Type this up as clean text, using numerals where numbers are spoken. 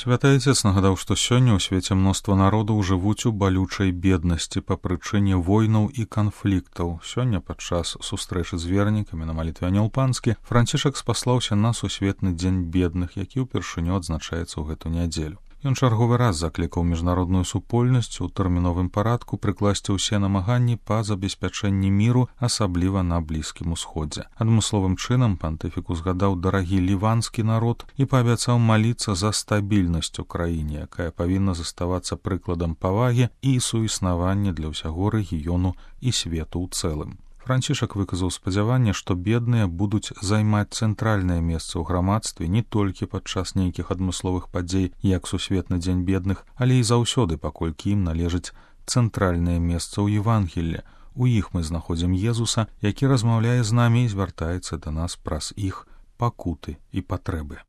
Святы Отец нагадаў, што сёння ў свеце мноства народаў жывуць у балючай беднасці па прычыне войнаў і канфліктаў. Сёння падчас сустрэчы з вернікамі на малітве Анёл Панскі Францішак спаслаўся на сусветны дзень бедных, які ўпершыню адзначаецца ў гэту нядзелю. Ён чарговы раз заклікаў міжнародную супольнасць у тэрміновым парадку прыкласці ўсе намаганні па забеспячэнні міру, асабліва на Блізкім Усходзе. Адмысловым чынам пантыфік узгадаў дарагі ліванскі народ і паабяцаў маліцца за стабільнасць у краіне, якая павінна заставацца прыкладам павагі і суіснавання для ўсяго рэгіёну і свету ў цэлым. Францішак выказаў спадзяванне, што бедныя будуць займаць цэнтральнае месца ў грамадстве не толькі падчас нейкіх адмысловых падзей, як сусветны дзень бедных, але і заўсёды, паколькі ім належыць цэнтральнае месца ў Евангеллі. У іх мы знаходзім Езуса, які размаўляе з намі і звяртаецца да нас праз іх пакуты і патрэбы.